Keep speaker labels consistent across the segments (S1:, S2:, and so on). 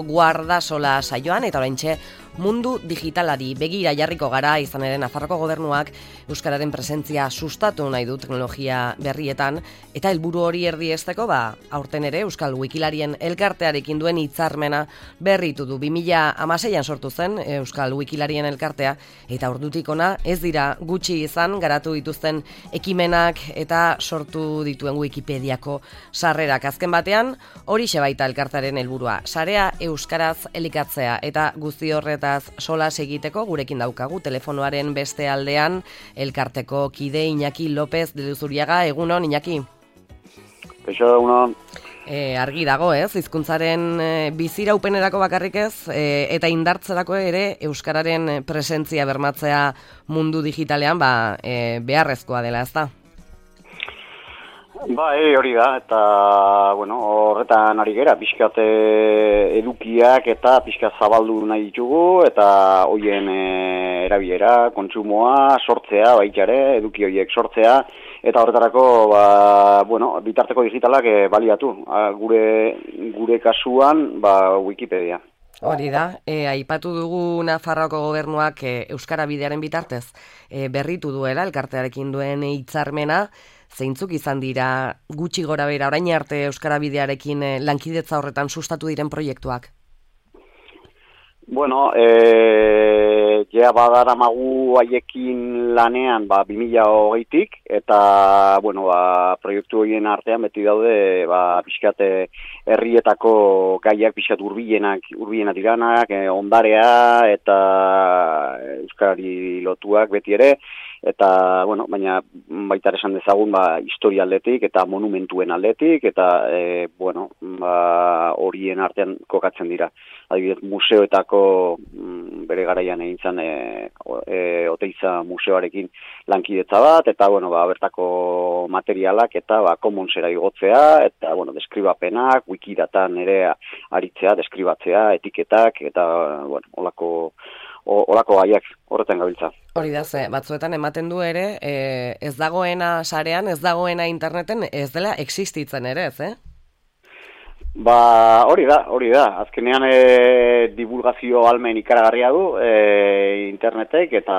S1: Guardasola saioan eta oraintxe mundu digitalari begira jarriko gara, izan ere Nafarroko gobernuak euskararen presentzia sustatu nahi du teknologia berrietan eta helburu hori erdiesteko aurten ere Euskal Wikilarien elkartearekin duen hitzarmena berritu du. 2016an sortu zen Euskal Wikilarien elkartea eta ordutik hona ez dira gutxi izan garatu dituzten ekimenak eta sortu dituen Wikipediako sarrerak. Azken batean horixe baita elkartearen helburua, sarea euskaraz elikatzea eta guzti horretaz solas egiteko gurekin daukagu telefonoaren beste aldean elkarteko kide Iñaki López de Luzuriaga. Egunon, Iñaki.
S2: Egunon.
S1: Argi dago, hizkuntzaren biziraupenerako bakarrik ez, eta indartzerako ere euskararen presentzia bermatzea mundu digitalean beharrezkoa dela, ezta?
S2: Hori da, eta horretan ari gera, pixkat edukiak eta pixkat zabaldu nahi ditugu, eta hoien erabilera, kontsumoa, sortzea, baitare, eduki horiek sortzea, eta horretarako, bitarteko digitalak baliatu, gure kasuan, Wikipedia.
S1: Hori da, aipatu dugu Nafarroako gobernuak Euskara Bidearen bitartez berritu duela, elkartearekin duen hitzarmena. Zeintzuk izan dira gutxi gora bera orain arte Euskara Bidearekin lankidetza horretan sustatu diren proiektuak?
S2: Ja badaramagu haiekin lanean 2020tik eta proiektu horien artean beti daude pixkat herrietako gaiak pixkat hurbilenak diranak, ondarea eta euskarari lotuak beti ere. Eta, baina baita esan dezagun, historia aldetik eta monumentuen aldetik, eta, horien artean kokatzen dira. Adibidez, museoetako bere garaian egin zen Oteiza museoarekin lankidetza bat, eta, bertako materialak eta commonsera igotzea, eta, deskribapenak, wikidatan ere aritzea, deskribatzea, etiketak, eta, olako gaiak horretan gabiltza.
S1: Hori da, batzuetan ematen du ere, ez dagoena sarean, ez dagoena interneten, ez dela existitzen ere, ez,
S2: Hori da. Azkenean divulgazio ahalmen ikaragarria du internetek, eta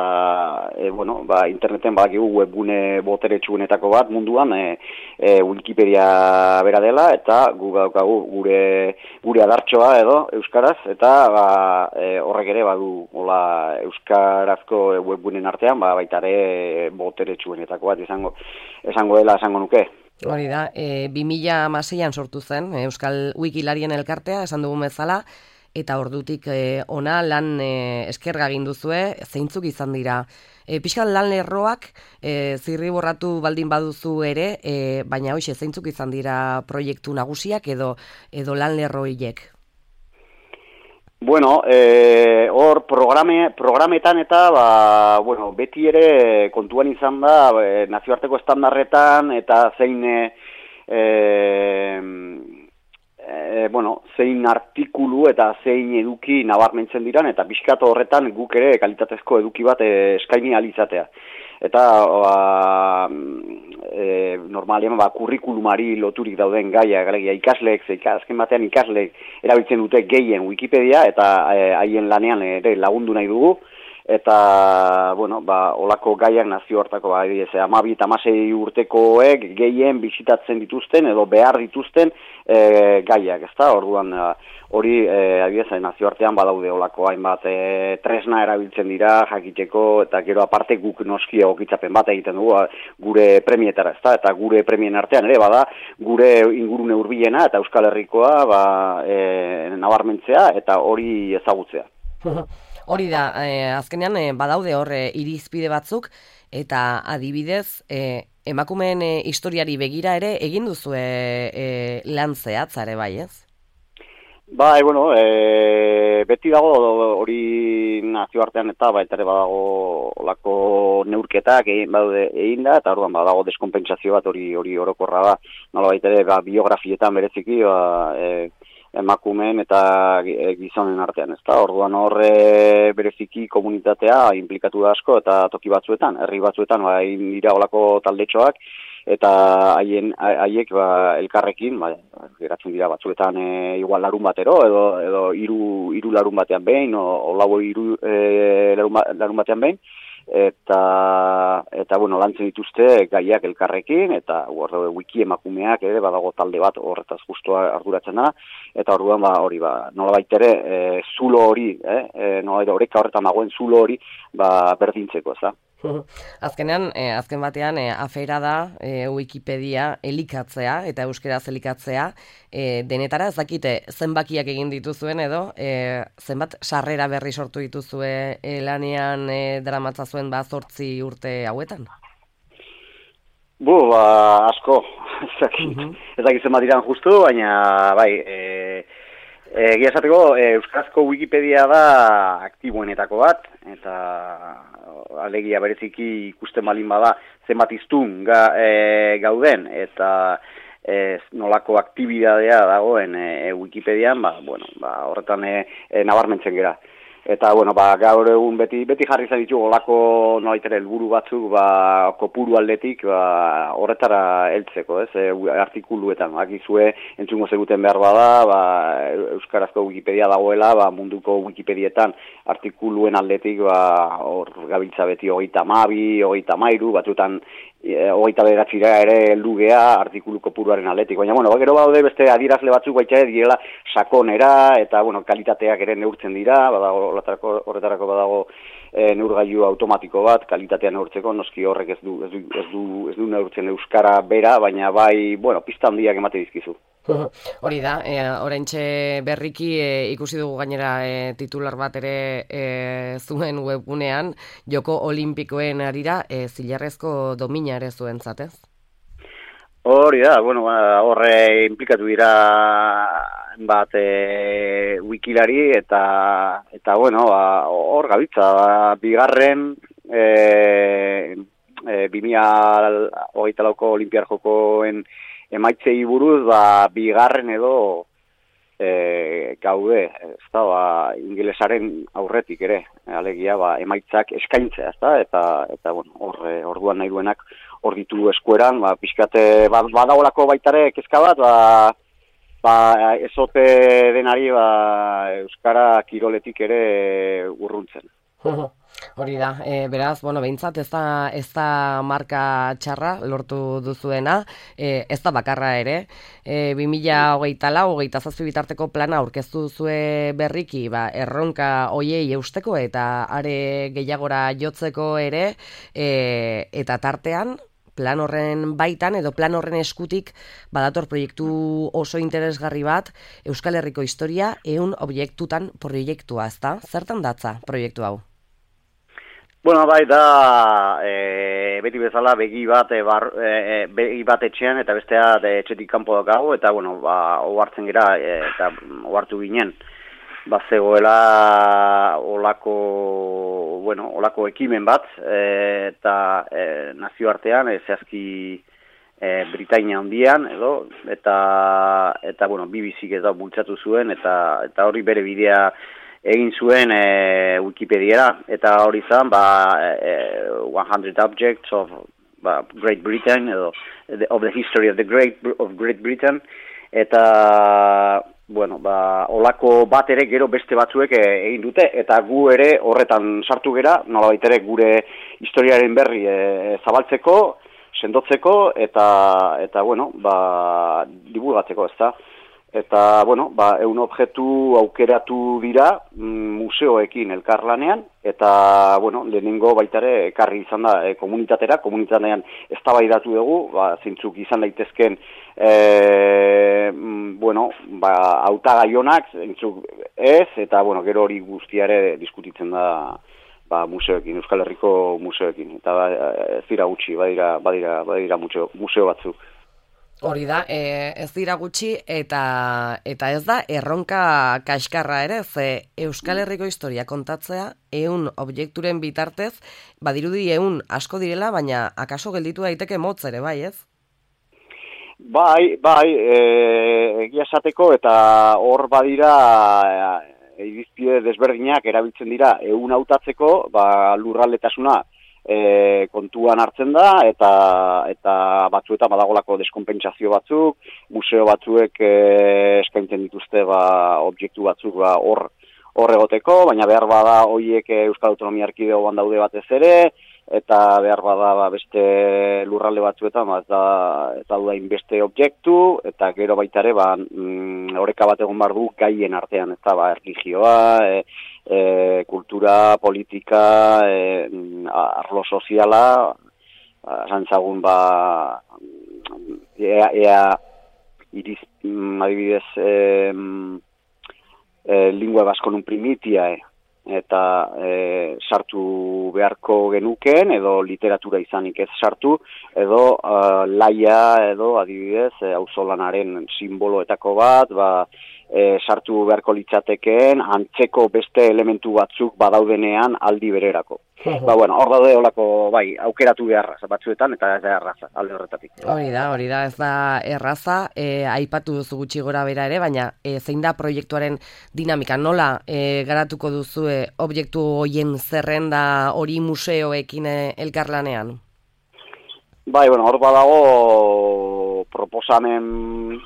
S2: interneten badakigu webgune boteretsuenetako bat munduan Wikipedia bera dela, eta gu daukagu gure adartxoa edo euskaraz, eta horrek ere badu euskarazko webguneen artean baita ere boteretsuenetako bat esango dela esango nuke.
S1: Hori da, 2016an sortu zen Euskal Wikilarien elkartea, esan dugun bezala, eta ordutik ona lan eskerga egin duzue, zeintzuk izan dira. Pixkan lan lerroak zirriborratu baldin baduzu ere, baina hoxe, zeintzuk izan dira proiektu nagusiak edo lan lerroiek?
S2: Hor programetan eta beti ere kontuan izan da nazioarteko estandarretan eta zein artikulu eta zein eduki nabarmentzen diran, eta pixkat horretan guk ere kalitatezko eduki bat eskaini ahal izatea. Eta normalean kurrikulumari loturik dauden gaiak, ikasleek, azken batean ikasleek erabiltzen dute gehien Wikipedia, eta haien lanean ere lagundu nahi dugu, eta olako gaiak nazioarteko 12 eta 16 urtekoek gehien bisitatzen dituzten edo behar dituzten gaiak, ezta? Orduan hori nazioartean badaude olako hainbat tresna erabiltzen dira jakiteko, eta gero aparte guk noski egokitzapen bat egiten dugu gure premietara, ezta? Eta gure premien artean ere bada gure ingurune hurbilena eta Euskal Herrikoa nabarmentzea eta hori ezagutzea.
S1: Hori da, azkenean badaude hor irizpide batzuk, eta adibidez emakumeen historiari begira ere egin duzue lan zehatzare bai, ez?
S2: Beti dago hori nazioartean eta baita ere badago olako neurketak egin da, eta orduan badago deskonpentsazio bat hori orokorra da, nola baita ere biografietan bereziki emakumeen eta gizonen artean, ezta? Orduan horre bereziki komunitatea inplikatu da asko, eta toki batzuetan, herri batzuetan dira olako taldetxoak, eta haiek elkarrekin geratzen dira batzuetan igual larun batero edo hiru larun batean behin o lau larun batean behin eta bueno, lantzen dituzte gaiak elkarrekin eta wiki emakumeak ere badago talde bat horretaz justu arduratzen da eta orduan hori nolabait ere zulo hori nolabait oreka horretan dagoen zulo hori berdintzeko, ezta.
S1: Azkenean, azken batean, afera da Wikipedia elikatzea eta euskeraz elikatzea, denetara ez dakite zenbakiak egin dituzuen edo, zenbat sarrera berri sortu dituzue lanean daramatzazuen 8 urte hauetan?
S2: Asko, ez dakit zenbat diran justu, baina bai, egia esateko, euskarazko Wikipedia da aktiboenetako bat, eta alegia bereziki ikusten balin bada zenbat hiztun gauden, eta nolako aktibidadea dagoen Wikipedian, horretan nabarmentzen gera. Eta, gaur egun beti jarri izan ditugu olako nolaitere helburu batzuk, kopuru aldetik, horretara heltzeko, ez, artikuluetan, akizue, entzungo zeguten behar bada, euskarazko Wikipedia dagoela, munduko Wikipedietan artikuluen aldetik, hor gabiltza beti 32, 33, batzuetan 29 ere heldu gea artikulu kopuruaren aldetik. Baina, gero badaude beste adierazle batzuk baita direla sakonera, eta, kalitateak ere neurtzen dira, horretarako badago neurgailu automatiko bat, kalitatea neurtzeko, noski horrek ez du neurtzen euskara bera, baina bai, pista handiak emate dizkizu.
S1: Hori da, oraintxe berriki ikusi dugu gainera titular bat ere zuen webgunean, Joko Olimpikoen harira zilarrezko domina ere zuen zatez?
S2: Hori da, horre implikatu dira bat wikilari eta hor gabitza, bigarren 2024ko Olimpiar Jokoen emaitzei buruz, bigarren edo gaude, ez da, ingelesaren aurretik ere, alegia, emaitzak eskaintzea, ez da, eta orduan nahi duenak hor ditu eskueran, pixkate, badaolako baitare kezka bat, ezote denari, euskara kiroletik ere urruntzen.
S1: Hori da, beraz, behintzat ez da marka txarra lortu duzuena, ez da bakarra ere, 2024-2027 bitarteko plana aurkeztu duzue berriki, erronka hoiei eusteko eta are gehiagora jotzeko ere, eta tartean, plan horren baitan edo plan horren eskutik badator proiektu oso interesgarri bat, Euskal Herriko historia 100 objektutan proiektua, ezta? Zertan datza proiektu hau?
S2: Bai da, beti bezala begi bat etxean eta bestea etxetik kanpo daukagu, eta ohartzen gera eta ohartu ginen. Zegoela olako ekimen bat, eta nazioartean, zehazki Britainia handian, eta BBC-k ez bultzatu zuen, eta hori bere bidea egin zuen Wikipediara, eta hori zan, 100 objects of Great Britain, of the history of Great Britain, eta olako bat ere gero beste batzuek egin dute, eta gu ere horretan sartu gera, nolabait ere gure historiaren berri zabaltzeko, sendotzeko, eta divulgatzeko, ezta. Eta, 100 objektu aukeratu dira museoekin elkarlanean, eta, lehenengo baitare ekarri izan da komunitatean eztabaidatu dugu, zeintzuk izan daitezken, hautagaionak, zeintzuk ez, eta, gero hori guztiare diskutitzen da, museoekin, Euskal Herriko museoekin, eta ez dira gutxi, badira museo batzuk.
S1: Hori da, ez dira gutxi eta ez da erronka kaskarra ere, ze Euskal Herriko historia kontatzea 100 objekturen bitartez, badirudi 100 asko direla, baina akaso gelditu daiteke motz ere, bai ez?
S2: Bai, egia esateko eta hor badira irizpide desberdinak erabiltzen dira 100 hautatzeko, lurraldetasuna kontuan hartzen da, eta batzuetan badagolako deskonpentsazio batzuk, museo batzuek eskaintzen dituzte objektu batzuk hor egoteko, baina behar bada horiek Euskal Autonomia Erkidegoan daude batez ere, eta behar bada beste lurralde batzuetan ez daudain beste objektu, eta gero baita ere oreka bat egon behar du gaien artean, ez da erlijioa, kultura, politika, arlo soziala, zantzagun adibidez lingua baskonun primitia, eta sartu beharko genuken, edo literatura izanik ez sartu, edo laia, edo adibidez, auzolanaren simboloetako bat, sartu beharko litzatekeen, antzeko beste elementu batzuk badaudenean aldi bererako. Hor daude olako, aukeratu beharra batzuetan, eta ez da erraza, alde horretatik.
S1: Hori da, ez da erraza, aipatu duzu gutxi gora bera ere, baina zein da proiektuaren dinamika, nola garatuko duzue objektu horien zerrenda hori museoekin elkarlanean?
S2: Hor badago proposamen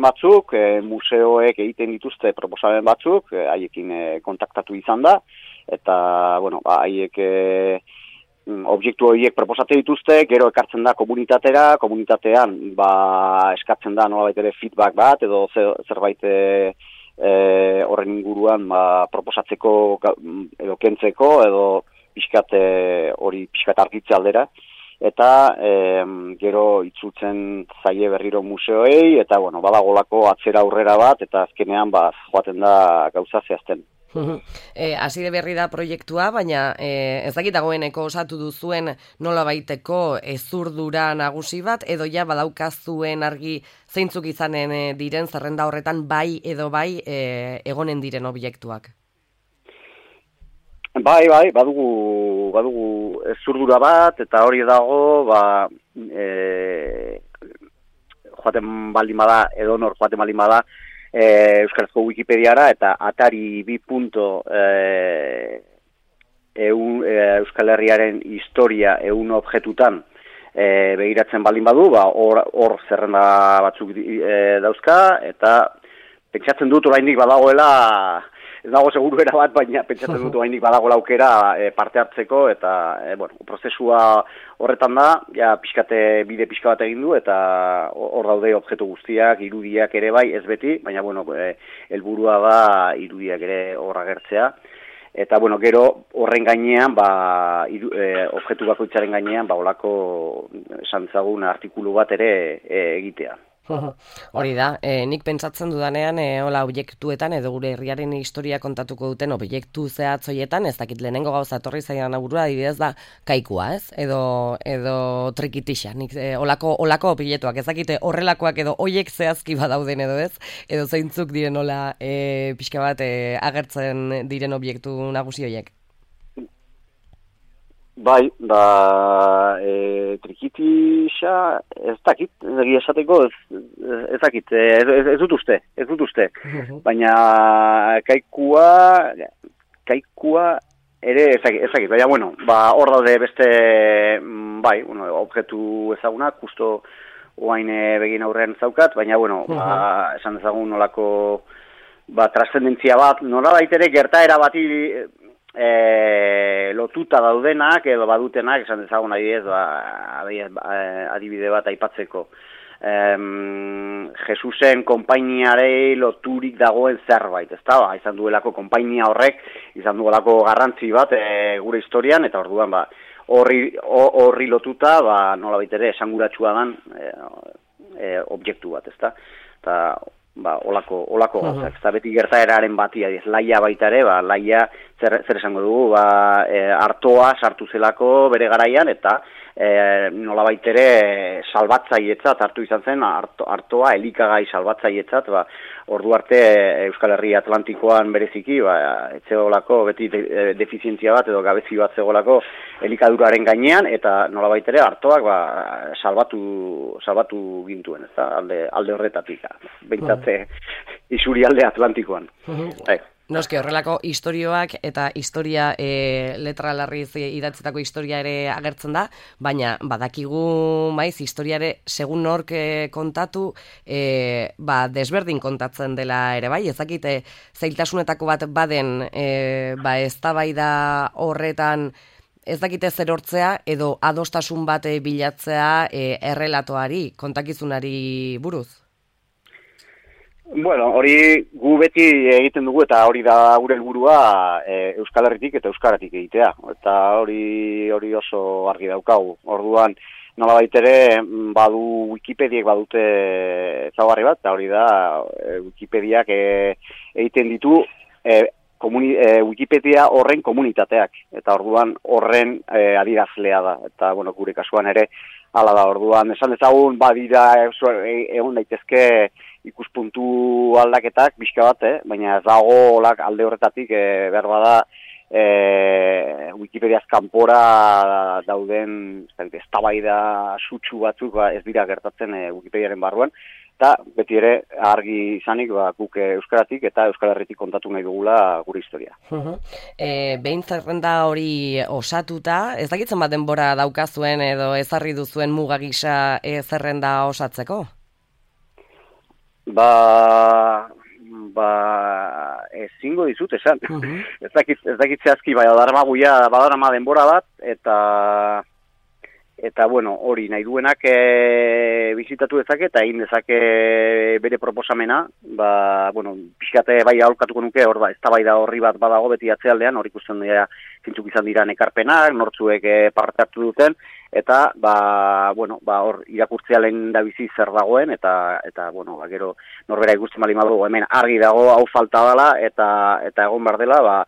S2: batzuk, museoek egiten dituzte proposamen batzuk, haiekin kontaktatu izan da, eta, haiek objektu horiek proposatzen dituzte, gero ekartzen da komunitatean, eskatzen da nolabait ere feedback bat, edo zerbait horren inguruan proposatzeko, edo kentzeko, edo pixkat argitze aldera, eta gero itzultzen zaie berriro museoei, eta badagolako atzera aurrera bat, eta azkenean joaten da gauza zehazten.
S1: Hasi de berri da proiektua, baina ez dakit dagoeneko osatu duzuen nola baiteko ezurdura nagusi bat, edo ja badaukazuen argi zeintzuk izanen diren zerrenda horretan bai edo bai egonen diren objektuak? Badugu ezurdura bat, eta hori dago, joaten baldin bada, edonor joaten baldin bada, Euskarazko Wikipediara, eta atari 2. Euskal Herriaren historia 100 objektutan begiratzen baldin badu, hor zerrenda batzuk dauzka, eta pentsatzen dut oraindik badagoela, ez dago seguru bat, baina pentsatzen dut oraindik badagoela aukera parte hartzeko, eta prozesua horretan da, bide pixka bat egin du, eta hor daude objektu guztiak, irudiak ere bai, ez beti, baina helburua da irudiak ere hor agertzea, eta gero horren gainean, objektu bakoitzaren gainean, olako esan dezagun artikulu bat ere egitea. Hori da, nik pentsatzen dudanean hola objektuetan edo gure herriaren historia kontatuko duten objektu zehatzoietan, ez dakit lehenengo gauza etorri zaidan aburua, adibidez da kaikua, ez? Edo trikitixa, nik olako objektuak, ez dakite horrelakoak edo hoiek zehazki badauden edo ez, edo zeintzuk diren hola pixka bat agertzen diren objektu nagusi hoiek.
S2: Trikitixa, ez dakit, egia esateko, ez dakit, ez dut uste. Baina kaikua ere ez dakit, baina, hor daude beste, objektu ezagunak, justo oain begin aurrean zaukat, baina, esan dezagun nolako, trascendentzia bat, nola baitere gertaera bati, lotuta daudenak edo badutenak, esan dezagun adibide bat aipatzeko. Jesusen konpainiarei loturik dagoen zerbait, ezta? Izan duelako konpainia horrek, izan duelako garrantzi bat gure historian, eta orduan horri lotuta, nola baitere esanguratsua dan objektu bat, ezta? Eta olako gauzak, ez da beti gertaeraren bati, laia baita ere, laia zer esango dugu, artoa sartu zelako bere garaian, eta nola baitere salbatzailetzat hartu izan zen, artoa elikagai salbatzailetzat, ordu arte Euskal Herri Atlantikoan bereziki, etzeolako beti defizientzia bat edo gabezi bat zegoelako elikaduraren gainean, eta nola baitere artoak salbatu gintuen, ez da, alde horretatik, behintzatze isuri alde Atlantikoan.
S1: Noski, horrelako istorioak eta historia letra larriz idatzitako historia ere agertzen da, baina badakigu maiz historiare segun nork kontatu desberdin kontatzen dela ere bai, ezakite zailtasunetako bat baden eztabaida horretan ez dakite zer hortzea edo adostasun bat bilatzea errelatoari, kontakizunari buruz.
S2: Bueno, hori gu beti egiten dugu eta hori da gure helburua Euskal Herritik eta Euskaratik egitea. Eta hori oso argi daukagu. Orduan, nolabait ere badu Wikipediek badute ezaugarri bat, eta hori da Wikipediak egiten ditu Wikipedia horren komunitateak. Eta orduan horren adierazlea da. Eta bueno, gure kasuan ere hala da. Orduan, esan dezagun badira egon daitezke ikuspuntu aldaketak pixka bat, baina ez dago alde horretatik behar bada Wikipediaz kanpora dauden eztabaida sutsu batzuk ez dira gertatzen Wikipediaren barruan, eta beti ere argi izanik guk Euskaratik eta Euskal Herritik kontatu nahi dugula gure historia.
S1: Behin zerrenda hori osatuta, ez dakitzen bat denbora daukazuen edo ezarri duzuen muga gisa zerrenda osatzeko?
S2: Ezingo dizut esan. Ez dakit zehazki badarama denbora bat, eta bueno, hori nahi duenak bizitatu dezake eta egin dezake bere proposamena, bueno, pixkate bai aholkatuko nuke, hor eztabaida horri bat badago beti atzealdean, hor ikusten dira zintzuk izan dira ekarpenak, nortzuek parte hartu duten, eta bueno, hor irakurtzea lehen da bizi zer dagoen, eta bueno, gero norbera ikusten bali madugu, hemen argi dago hau falta dela, eta egon behar dela,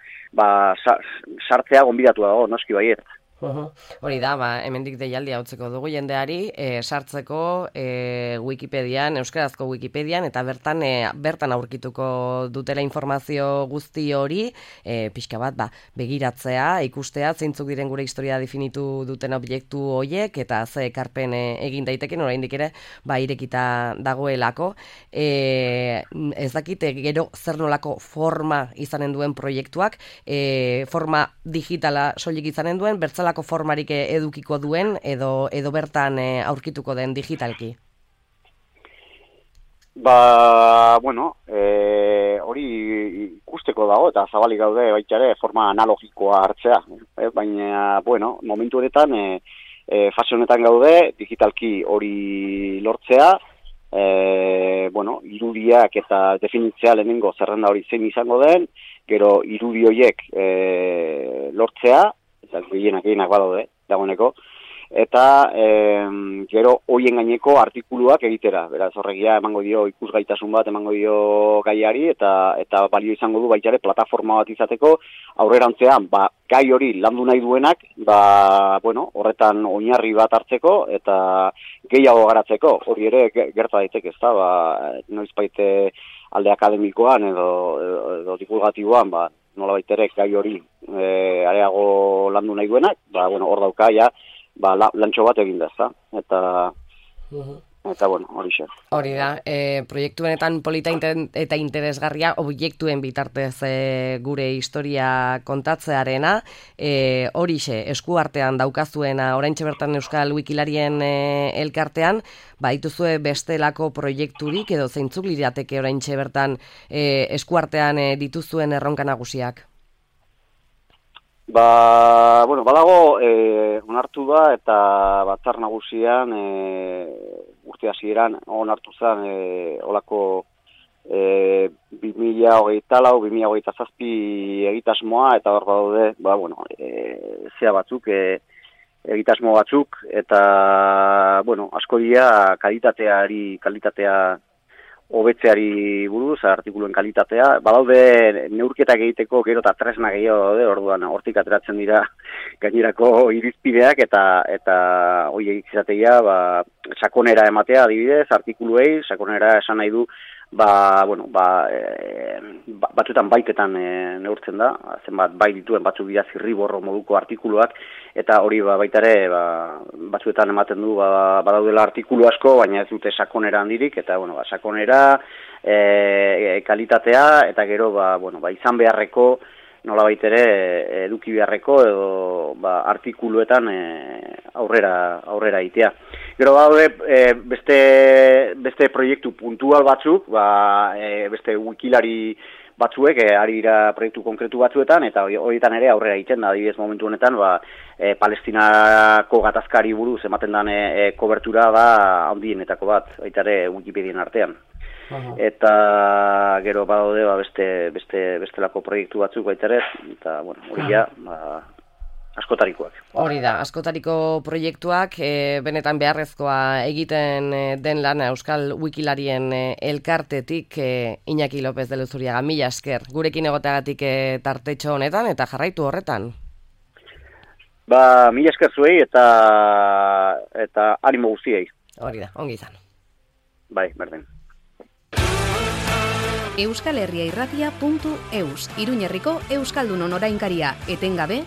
S2: sartzea gonbidatu dago, noski baiet.
S1: Hori da, hemendik deialdia utzeko dugu jendeari, sartzeko Wikipedian, euskarazko Wikipedian, eta bertan aurkituko dutela informazio guzti hori, pixka bat, begiratzea, ikustea, zeintzuk diren gure historia definitu duten objektu horiek, eta ze ekarpen egin daiteken, oraindik ere, irekita dagoelako. Ez dakite, gero zer nolako forma izanen duen proiektuak, forma digitala soilik izanen duen, bertzalako formarik edukiko duen edo bertan aurkituko den digitalki?
S2: Bueno, hori ikusteko dago eta zabalik gaude baita ere forma analogikoa hartzea. Baina, bueno, momentu honetan, fase honetan gaude, digitalki hori lortzea, bueno, irudiak eta definitzea lehenengo zerrenda hori zein izango den, gero irudi horiek lortzea, gehienak badaude, dagoeneko, eta gero hoien gaineko artikuluak egitera, beraz horregia emango dio ikusgaitasun bat, emango dio gaiari, eta balio izango du baita ere plataforma bat izateko, aurrerantzean, gai hori landu nahi duenak, bueno, horretan oinarri bat hartzeko, eta gehiago garatzeko, hori ere gerta daiteke, ez da, noizbait alde akademikoan edo divulgatiboan, nola baitere gai hori areago landu nahi duenak, bueno, hor dauka, lantxo bat egin da, eta bueno, hori xe.
S1: Hori da, proiektuenetan polita eta interesgarria objektuen bitartez gure historia kontatzearena, hori xe, eskuartean daukazuena, oraintxe bertan Euskal Wikilarien elkartean, dituzue bestelako proiekturik edo zeintzuk lirateke oraintxe bertan eskuartean dituzuen erronka nagusiak?
S2: Bueno, badago onartu da eta batzar nagusian urte hasieran onartu zen olako 2024-2027 egitasmoa eta hor badaude, bueno, zea batzuk, egitasmo batzuk eta, bueno, asko dira kalitatea hobetzeari buruz, artikuluen kalitatea, badaude neurketak egiteko gero eta tresna gehiago daude, orduan hortik ateratzen dira gainerako irizpideak eta horiek izatea, sakonera ematea adibidez, artikuluei, sakonera esan nahi du batzuetan baitetan neurtzen da, zenbat bai dituen batzuk dira zirriborro moduko artikuluak, eta hori baita ere batzuetan ematen du badaudela artikulu asko, baina ez dute sakonera handirik, eta sakonera, kalitatea, eta gero izan beharreko, nolabait ere eduki beharreko edo artikuluetan aurrera itea. Gero daude beste proiektu puntual batzuk, beste wikilari batzuek ari dira proiektu konkretu batzuetan, eta horietan ere aurrera egiten da, adibidez momentu honetan Palestinako gatazkari buruz ematen den kobertura handienetako bat, baita ere Wikipedian artean. Eta gero badaude bestelako proiektu batzuk baita ere, eta hori askotarikoak.
S1: Hori da, askotariko proiektuak, benetan beharrezkoa egiten den lana Euskal Wikilarien elkartetik, Iñaki López de Luzuriaga, mila esker, gurekin egoteagatik tartetxo honetan, eta jarraitu horretan.
S2: Mila esker zuei eta animo guztiei.
S1: Hori da, ongi izan.
S2: Bai, berdin.
S3: euskalherriairratia.eus, Iruñerriko Euskaldunon orainkaria, etengabe